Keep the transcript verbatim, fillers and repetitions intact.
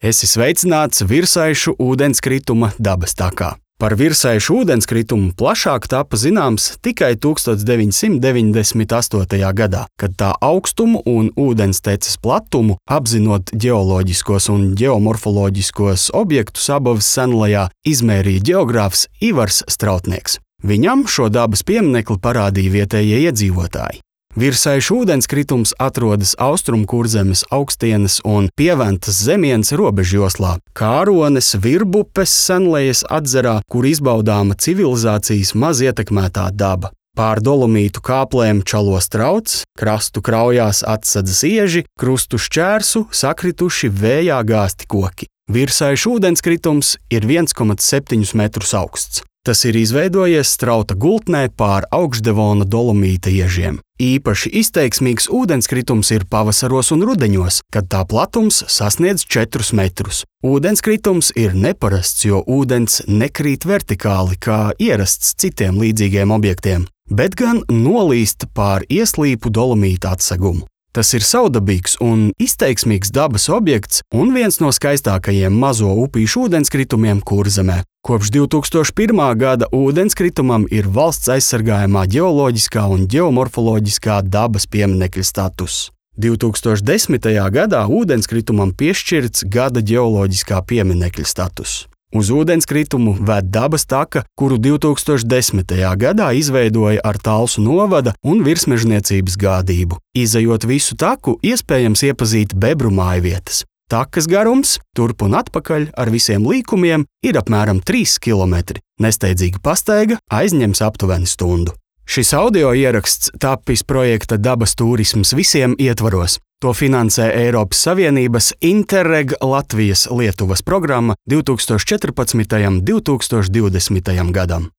Esi sveicināts virsaišu ūdenskrituma dabas takā. Par virsaišu ūdenskritumu plašāk tapa zināms tikai tukstovs deviņsimt deviņdesmit astotajā gadā, kad tā augstumu un ūdensteces platumu, apzinot ģeoloģiskos un ģeomorfoloģiskos objektus Abavas senlajā, izmērīja ģeogrāfs Ivars Strautnieks. Viņam šo dabas pieminekli parādīja vietējie iedzīvotāji. Virsaišu ūdenskritums atrodas Austrumkurzemes, Augstienes un Pieventas zemienes robežjoslā, Kārones, Virbupes senlejas atzarā, kur izbaudāma civilizācijas maz ietekmētā daba. Pār dolomītu kāplēm čalo strauts, krastu kraujās atsadzas ieži, krustu šķērsu sakrituši vējā gāzti koki. Virsaišu ūdenskritums ir viens komats septiņi metrus augsts. Tas ir izveidojies strauta gultnē pār augšdevona dolomīta iežiem. Īpaši izteiksmīgs ūdenskritums ir pavasaros un rudeņos, kad tā platums sasniedz četrus metrus. Ūdenskritums ir neparasts, jo ūdens nekrīt vertikāli, kā ierasts citiem līdzīgiem objektiem, bet gan nolīst pār ieslīpu dolomīta atsegumu. Tas ir saudabīgs un izteiksmīgs dabas objekts un viens no skaistākajiem mazo upīšu ūdenskritumiem Kurzemē. Kopš divi tūkstoši pirmā gada ūdenskritumam ir valsts aizsargājamā ģeoloģiskā un ģeomorfoloģiskā dabas pieminekļa status. divi tūkstoši desmitajā gadā ūdenskritumam piešķirts gada ģeoloģiskā pieminekļa status. Uz ūdenskritumu ved dabas taka, kuru divi tūkstoši desmitajā gadā izveidoja ar Talsu novada un virsmežniecības gādību. Izejot visu taku, iespējams iepazīt bebru mājvietas. Takas garums, turp un atpakaļ ar visiem līkumiem, ir apmēram trīs kilometri. Nesteidzīga pastaiga aizņems aptuveni stundu. Šis audio ieraksts tapis projekta Dabas turisms visiem ietvaros. To finansē Eiropas Savienības Interreg Latvijas Lietuvas programma divi tūkstoši četrpadsmitajam līdz divi tūkstoši divdesmitajam gadam.